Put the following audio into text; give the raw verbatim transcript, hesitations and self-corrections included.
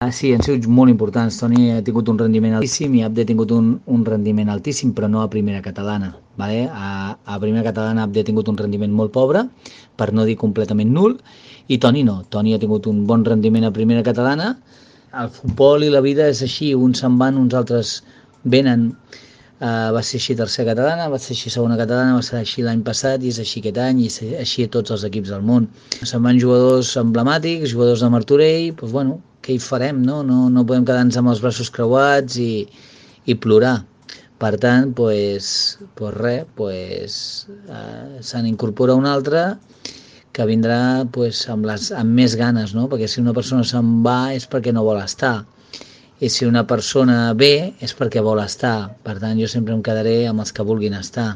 Ah, sí, han sigut molt importants. Toni ha tingut un rendiment altíssim i Abde ha tingut un, un rendiment altíssim, però no a primera catalana. Vale? A, a primera catalana Abde ha tingut un rendiment molt pobre, per no dir completament nul, i Toni no. Toni ha tingut un bon rendiment a primera catalana. El futbol i la vida és així, uns se'n van, uns altres venen. Uh, va ser així tercera catalana, va ser així segona catalana, va ser així l'any passat i és així aquest any i és així a tots els equips del món. Se'n van jugadors emblemàtics, jugadors de Martorell, doncs bueno, què hi farem, no? No, no podem quedar-nos amb els braços creuats i, i plorar. Per tant, doncs, doncs res, doncs, uh, se n'incorpora un altre que vindrà doncs, amb, les, amb més ganes, no? Perquè si una persona se'n va és perquè no vol estar. I si una persona ve és perquè vol estar. Per tant, jo sempre em quedaré amb els que vulguin estar.